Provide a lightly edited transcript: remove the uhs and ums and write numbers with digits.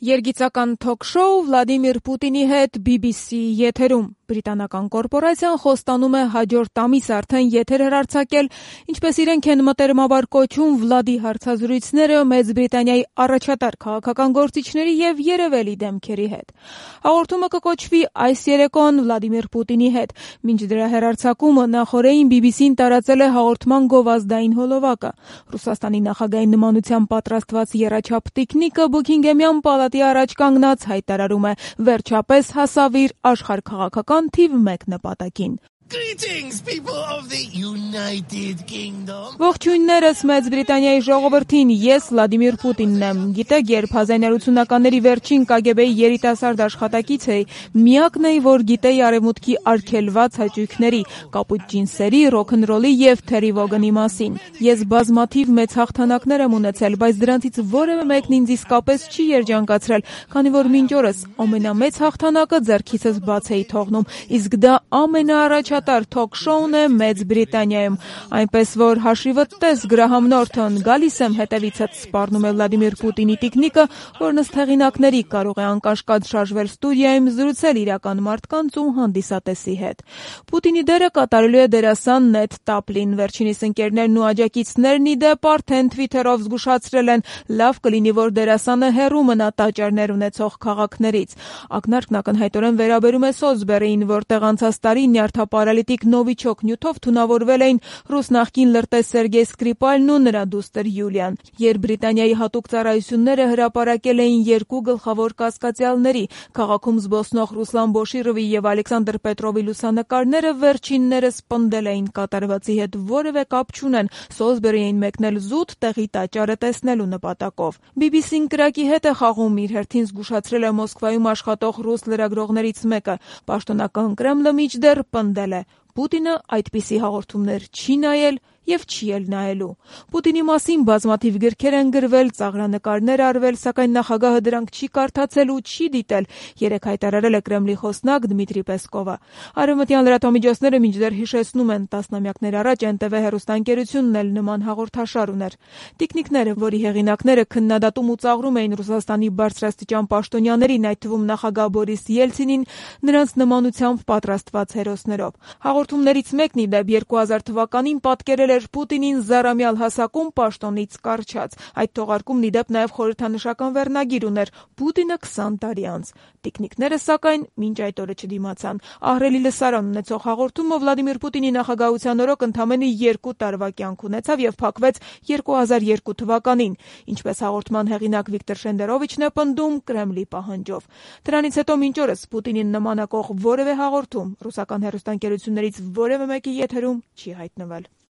Երգիծական թոք-շոու Վլադիմիր Պուտինի հետ BBC եթերում։ Բրիտանական կորպորացիան խոստանում է հաջորդ ամիս արդեն եթեր հեռարձակել, ինչպես իրենք են մտերմաբար կոչում, Վլադի հարցազրույցները Մեծ Բրիտանիայի առաջատար քաղաքական գործիչների եւ երևելի դեմքերի հետ։ Հաղորդումը կկոչվի «Այս երեկոն Վլադիմիր Պուտինի հետ», մինչ դրա հեռարձակումը նախօրեին BBC-ն տարածել է հաղորդման գովազդային հոլովակը։ Ռուսաստանի նախագահի նմանությամբ պատրաստված եռաչափ տիկնիկը Բուքինգեմյան պալատի առաջ կանգնած հայտարարում է. «Վերջապես հասավ իր աշխարհաքաղաքական թիվ 1 նպատակին»։ Greetings, people of the United Kingdom. Ողջույններս Մեծ Բրիտանիայի ժողովրդին, ես Վլադիմիր Պուտինն եմ։ Գիտեք, երբ 1980-ականների վերջին KGB-ի երիտասարդ աշխատակից էի, միակն էի, որ գիտեի արևմուտքի արգելված հաճույքների, կապույտ ջինսերի, ռոքնռոլի եւ Թերի Վոգանի մասին։ Ես բազմաթիվ մեծ հաղթանակներ եմ ունեցել, բայց դրանցից որևէ մեկն ինձ իսկապես չի երջանկացրել, քանի որ մինչ օրս ամենամեծ հաղթանակը ձեռքիցս բաց էի թողնում, իսկ դա ամենաառաջատար թոք-շոուն է Մեծ Բրիտանիայում, այնպես որ հաշիվդ տես Գրահամ Նորթոն, գալիս եմ հետևիցդ, սպառնում է Վլադիմիր Պուտինի տիկնիկը, որն ըստ հեղինակների կարող է անկաշկադ շարժվել ստուդիայում, զրուցել իրական մարդկանց ու հանդիսատեսի հետ։ Պուտինի դերը կատարելու է դերասան Նեթ Տապլին, վերջինիս ընկերներն ու աջակիցներն ի դեպ արդեն Twitter-ով զգուշացրել են, լավ կլինի, որ դերասանը հեռու մնա տաճարներ ունեցող քաղաքներից։ Ակնարկն ակնհայտորեն վերաբերում է Սոլսբերիին, որտեղ անցած տարի նյարդապարալիտիկ Նովիչոկ նյութով թունավորվել էին ռուս նախկին լրտես Սերգեյ Սկրիպալն ու նրա դուստր Յուլիան։ Երբ Բրիտանիայի հատուկ ծառայությունները հրապարակել էին 2 գլխավոր կասկածյալների՝ քաղաքում զբոսնող Ռուսլան Բոշիրովի եւ Ալեքսանդր Պետրովի լուսանկարները, վերջիններս պնդել էին կատարվածի հետ որևէ կապ չունեն, Սոլսբերի էին մեկնել զուտ տեղի տաճարը տեսնելու նպատակով։ BBC-ն կրակի հետ է խաղում, իր հերթին զգուշացրել է Մոսկվայում աշխատող ռուս լրագրողներից մեկը։ Պաշտոնական Կրեմլը մինչդեռ պնդել է. Պուտինը այդպիսի հաղորդումներ չի նայել եւ չի էլ նայելու։ Պուտինի մասին բազմաթիվ գրքեր են գրվել, ծաղրանկարներ արվել, սակայն նախագահը դրանք չի կարդացել ու չի դիտել, երեկ հայտարարել է Կրեմլի խոսնակ Դմիտրի Պեսկովը։ Արևմտյան լրատվամիջոցները մինչդեռ հիշեցնում են, տասնամյակներ առաջ NTV հեռուստաընկերությունն էլ նման հաղորդաշար ուներ։ Տիկնիկները, որի հեղինակները քննադատում ու ծաղրում էին Ռուսաստանի բարձրաստիճան պաշտոնյաներին, այդ թվում նախագահ Բորիս Ելցինին, նրանց նմանությամբ պատրաստված հերոսներով։ Հաղորդումներից մեկն ի դեպ 2000 թվականին պատկերել էր Պուտինին զարամյալ հասակում պաշտոնից կառչած։ Այդ թողարկումն ի դեպ նաև խորհրդանշական վերնագիր ուներ՝ Պուտինը 20 տարի անց։ Տիկնիկները, սակայն, մինչ այդ օրը չդիմացան։ Ահռելի լսարան ունեցող հաղորդումը Վլադիմիր Պուտինի նախագահության օրոք ընդամենը 2 տարվա կյանք ունեցավ եւ փակվեց 2002 թվականին, ինչպես հաղորդման հեղինակ Վիկտոր Շենդերովիչն է պնդում Կրեմլի պահանջով։ Դրանից հետո մինչ օրս Պուտինին նմանակող որևէ հաղորդում ռուսական հեռուստաընկերություններից որևէ մեկի եթերում չի հայտնվել։